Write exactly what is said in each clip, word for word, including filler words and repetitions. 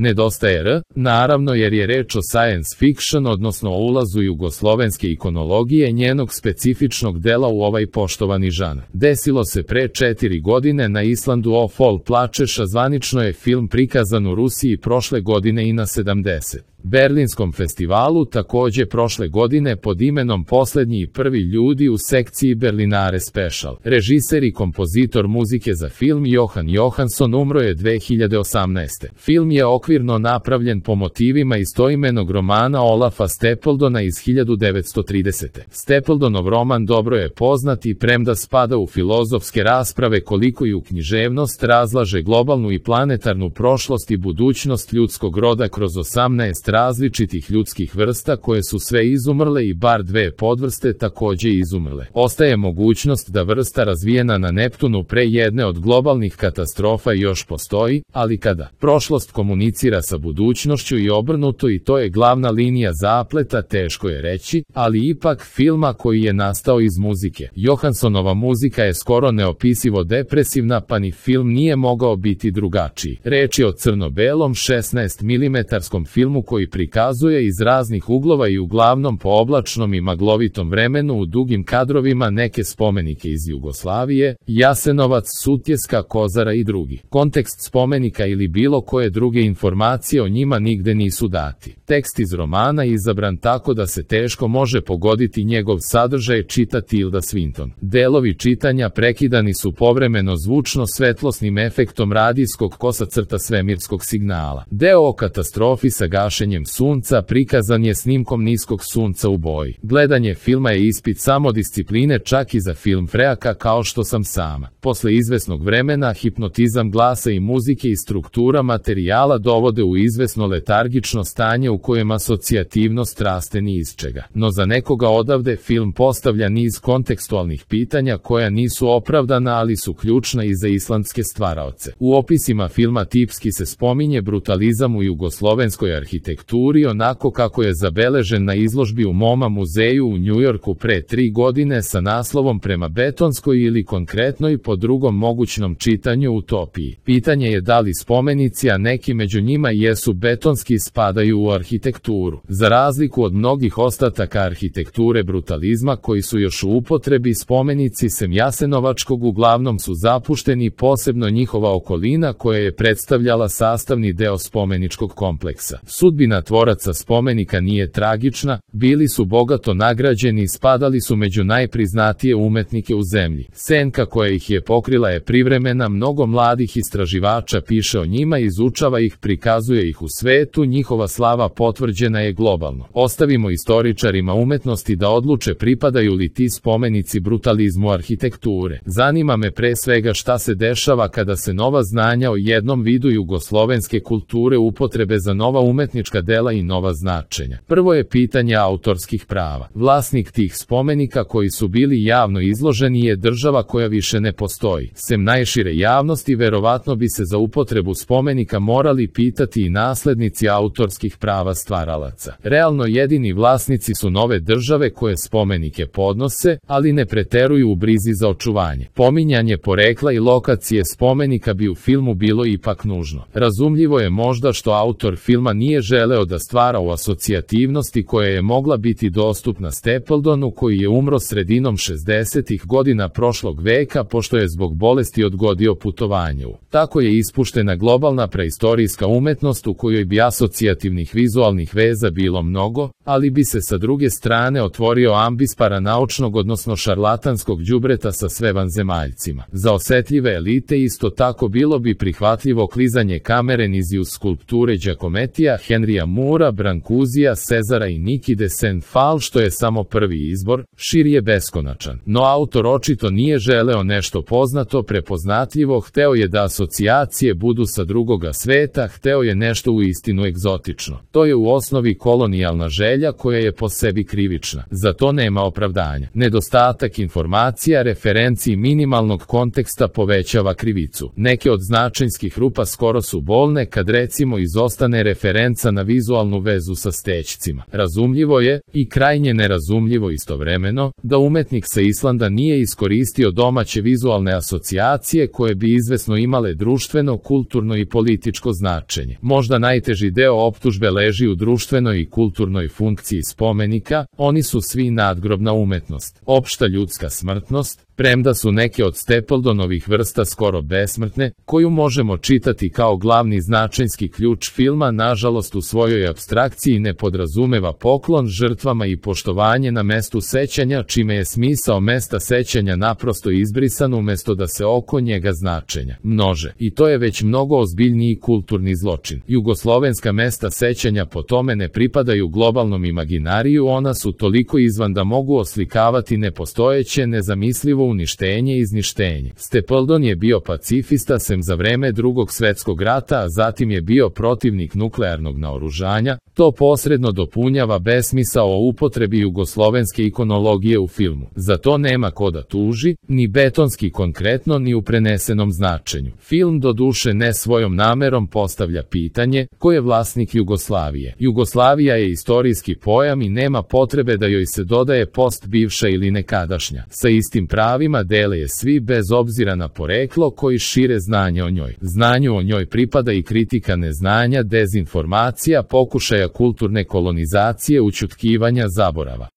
Nedostaje R, naravno jer je reč o science fiction, odnosno o ulazu jugoslovenske ikonologije njenog specifičnog dela u ovaj poštovani žanr. Desilo se pre četiri godine na Islandu. O Fol plačeš, a zvanično je film prikazan u Rusiji prošle godine i na sedamdeset. Berlinskom festivalu, takođe prošle godine pod imenom Poslednji i prvi ljudi u sekciji Berlinare Special. Režiser i kompozitor muzike za film Johan Johansson umro je dve hiljade osamnaeste. Film je okvirno napravljen po motivima istoimenog romana Olafa Stapledona iz hiljadu devetsto tridesete. Stapledonov roman dobro je poznat i premda spada u filozofske rasprave koliko i u književnost, razlaže globalnu i planetarnu prošlost i budućnost ljudskog roda kroz osamnaest različitih ljudskih vrsta koje su sve izumrle i bar dve podvrste takođe izumrle. Ostaje mogućnost da vrsta razvijena na Neptunu pre jedne od globalnih katastrofa još postoji, ali kada prošlost komunicira sa budućnošću i obrnuto, i to je glavna linija zapleta, teško je reći, ali ipak filma koji je nastao iz muzike. Johanssonova muzika je skoro neopisivo depresivna, pa ni film nije mogao biti drugačiji. Reč je o crno-belom šesnaest milimetarskom filmu koji prikazuje iz raznih uglova i uglavnom po oblačnom i maglovitom vremenu u dugim kadrovima neke spomenike iz Jugoslavije, Jasenovac, Sutjeska, Kozara i drugi. Kontekst spomenika ili bilo koje druge informacije o njima nigde nisu dati. Tekst iz romana je izabran tako da se teško može pogoditi njegov sadržaj, čita Tilda Swinton. Delovi čitanja prekidani su povremeno zvučno-svetlosnim efektom radijskog kosacrta svemirskog signala. Deo o katastrofi sa gašenjem sunca prikazan je snimkom niskog sunca u boji. Gledanje filma je ispit samodiscipline čak i za film freaka kao što sam sama. Posle izvesnog vremena hipnotizam glasa i muzike i struktura materijala dovode u izvesno letargično stanje u kojem asocijativnost raste ni iz čega. No za nekoga odavde film postavlja niz kontekstualnih pitanja koja nisu opravdana, ali su ključna i za islandske stvaraoce. U opisima filma tipski se spominje brutalizam u jugoslovenskoj arhitekturi onako kako je zabeležen na izložbi u MoMA muzeju u Njujorku pre tri godine sa naslovom Prema betonskoj ili konkretno i po drugom mogućnom čitanju utopiji. Pitanje je da li spomenici, a neki među njima jesu betonski, spadaju u arhitekturu. Za razliku od mnogih ostataka arhitekture brutalizma koji su još u upotrebi, spomenici sem Jasenovačkog uglavnom su zapušteni, posebno njihova okolina koja je predstavljala sastavni deo spomeničkog kompleksa. Sudbina tvoraca spomenika nije tragična, bili su bogato nagrađeni i spadali su među najpriznatije umetnike u zemlji. Senka koja ih je pokrila je privremena, mnogo mladih istraživača piše o njima, izučava ih, prikazuje ih u svetu, njihova slava potvrđena je globalno. Ostavimo istoričarima umetnosti da odluče pripadaju li ti spomenici brutalizmu arhitekture. Zanima me pre svega šta se dešava kada se nova znanja o jednom vidu jugoslovenske kulture upotrebe za nova umetnička dela i nova značenja. Prvo je pitanje autorskih prava. Vlasnik tih spomenika koji su bili javno izloženi je država koja više ne postoji. Sem najšire javnosti, verovatno bi se za upotrebu spomenika morali pitati i naslednici autorskih prava stvaralaca. Realno jedini vlasnici su nove države koje spomenike podnose, ali ne preteruju u brizi za očuvanje. Pominjanje porekla i lokacije spomenika bi u filmu bilo ipak nužno. Razumljivo je možda što autor filma nije želeo da stvara u asocijativnosti koja je mogla biti dostupna Stapledonu koji je umro sredinom šezdesetih godina prošlog veka pošto je zbog bolesti odgodio putovanje. Tako je ispuštena globalna preistorijska umetnost u kojoj bi asocijativnih vizualnih veza bilo mnogo, ali bi se sa druge strane otvorio ambis paranaučnog odnosno šarlatanskog đubreta sa sve vanzemaljcima. Za osetljive elite isto tako bilo bi prihvatljivo klizanje kamere niz uz skulpture Giacomettija, Henrya Moora, Brancuzija, Cezara i Niki de Saint-Phal, što je samo prvi izbor, šir je beskonačan. No autor očito nije želeo nešto poznato, prepoznatljivo, hteo je da asocijacije budu sa drugoga sveta, hteo je nešto u istinu egzotično. To je u osnovi kolonijalna želja koja je po sebi krivična. Za to nema opravdanja. Nedostatak informacija, referenci i minimalnog konteksta povećava krivicu. Neke od značenjskih rupa skoro su bolne kad recimo izostane referenca na vizualnu vezu sa stećcima. Razumljivo je, i krajnje nerazumljivo istovremeno, da umetnik sa Islanda nije iskoristio domaće vizualne asocijacije koje bi izvesno imale društveno, kulturno i političko značenje. Možda najteži deo optužbe leži u društvenoj i kulturnoj funkciji spomenika, oni su svi nadgrobna umetnost, opšta ljudska smrtnost, premda su neke od Stapledonovih vrsta skoro besmrtne, koju možemo čitati kao glavni značajski ključ filma, nažalost u svojoj apstrakciji ne podrazumeva poklon žrtvama i poštovanje na mestu sećanja, čime je smisao mesta sećanja naprosto izbrisan umesto da se oko njega značenja množe. I to je već mnogo ozbiljniji kulturni zločin. Jugoslovenska mesta sećanja po tome ne pripadaju globalnom imaginariju, ona su toliko izvan da mogu oslikavati nepostojeće, nezamislivo uništenje i izništenje. Stapledon je bio pacifista sem za vreme Drugog svetskog rata, a zatim je bio protivnik nuklearnog naoružanja. To posredno dopunjava besmisao o upotrebi jugoslovenske ikonologije u filmu. Za to nema ko da tuži, ni betonski konkretno, ni u prenesenom značenju. Film doduše ne svojom namerom postavlja pitanje ko je vlasnik Jugoslavije. Jugoslavija je istorijski pojam i nema potrebe da joj se dodaje post bivša ili nekadašnja. Sa istim pravima dele je svi bez obzira na poreklo koji šire znanje o njoj. Znanju o njoj pripada i kritika neznanja, dezinformacija, pokušaja kulturne kolonizacije, ućutkivanja, zaborava.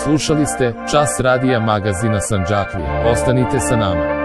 Slušali ste Čas radija magazina Sandžaklija. Ostanite sa nama.